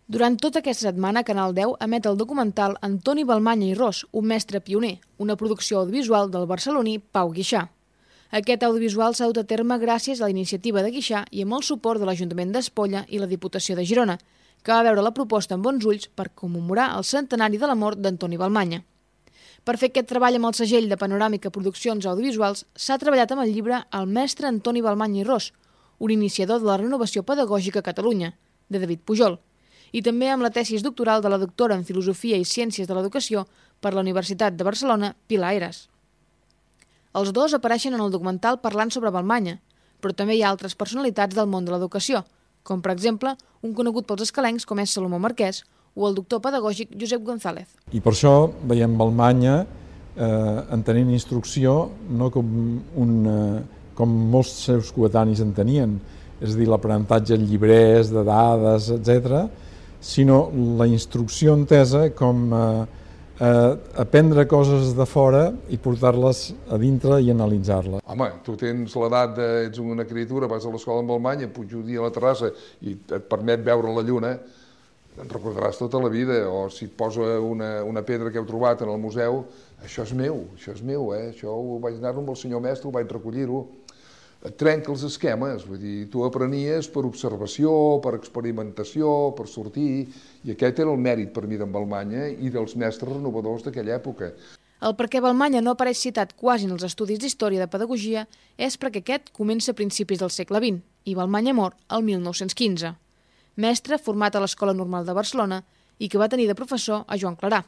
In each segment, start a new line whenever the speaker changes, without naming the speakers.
Durant tota aquesta setmana, Canal 10 emet el documental Antoni Balmanya i Ros, un mestre pioner, una producció audiovisual del barceloní Pau Guixà. Aquest audiovisual s'ha dut a terme gràcies a la iniciativa de Guixà i amb el suport de l'Ajuntament d'Espolla i la Diputació de Girona, que va veure la proposta amb bons ulls per commemorar el centenari de la mort d'Antoni Balmanya. Per fer aquest treball amb el segell de Panoràmica Produccions Audiovisuals s'ha treballat amb el llibre El mestre Antoni Balmanya i Ros, un iniciador de la renovació pedagògica a Catalunya, de David Pujol, i també amb la tesis doctoral de la doctora en Filosofia i Ciències de l'Educació per la Universitat de Barcelona, Pilar Heras. Els dos apareixen en el documental parlant sobre Balmanya, però també hi ha altres personalitats del món de l'educació, com per exemple un conegut pels escalencs com és Salomó Marquès o el doctor pedagògic Josep González.
I per això veiem Balmanya entenent instrucció no com molts seus coetanis en tenien, és a dir, l'aprenentatge en llibrers, de dades, etc., sinó la instrucció entesa com aprendre coses de fora i portar-les a dintre i analitzar-les.
Home, tu tens l'edat, ets una criatura, vas a l'escola en Balmanya, pujo un dia a la terrassa i et permet veure la lluna, en recordaràs tota la vida, o si et posa una pedra que heu trobat en el museu, això és meu, això ho vaig anar amb el senyor mestre, ho vaig recollir-ho. Et trenca els esquemes, vull dir, tu aprenies per observació, per experimentació, per sortir, i aquest era el mèrit per mi d'en Balmanya i dels mestres renovadors d'aquella època.
El per què Balmanya no apareix citat quasi en els estudis d'història de pedagogia és perquè aquest comença a principis del segle XX i Balmanya mor el 1915. Mestre format a l'Escola Normal de Barcelona i que va tenir de professor a Joan Clarà.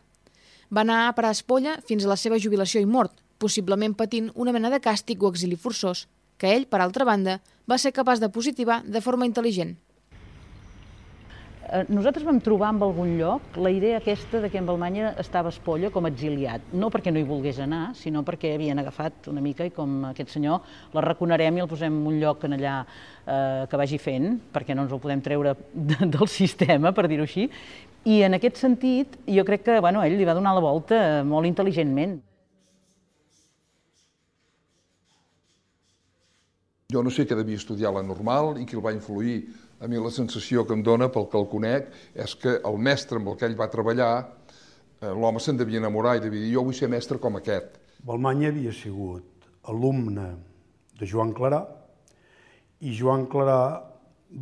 Va anar a parar a Espolla fins a la seva jubilació i mort, possiblement patint una mena de càstig o exili forçós, que ell, per altra banda, va ser capaç de positivar de forma intel·ligent.
Nosaltres vam trobar en algun lloc la idea aquesta de que en Balmanya estava a Espolla com a exiliat, no perquè no hi volgués anar, sinó perquè havien agafat una mica i com aquest senyor l'arraconarem i el posem en un lloc en allà que vagi fent, perquè no ens el podem treure del sistema, per dir-ho així, i en aquest sentit jo crec que ell li va donar la volta molt intel·ligentment.
Jo no sé què devia estudiar la normal i qui el va influir. A mi la sensació que em dona, pel que el conec, és que el mestre amb el que ell va treballar, l'home se'n devia enamorar i devia dir jo vull ser mestre com aquest.
Balmanya havia sigut alumne de Joan Clarà i Joan Clarà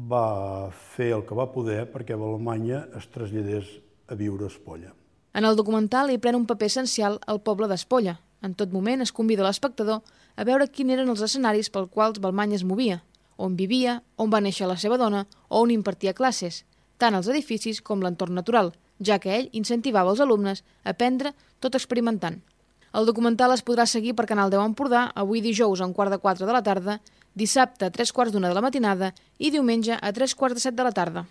va fer el que va poder perquè Balmanya es traslladés a viure a Espolla.
En el documental hi pren un paper essencial el poble d'Espolla. En tot moment es convida l'espectador a veure quins eren els escenaris pels quals Balmanya es movia, on vivia, on va néixer la seva dona o on impartia classes, tant els edificis com l'entorn natural, ja que ell incentivava els alumnes a aprendre tot experimentant. El documental es podrà seguir per Canal 10 Empordà avui dijous a 3:15 de la tarda, dissabte a 3:15 de la matinada i diumenge a 3:45 de la tarda.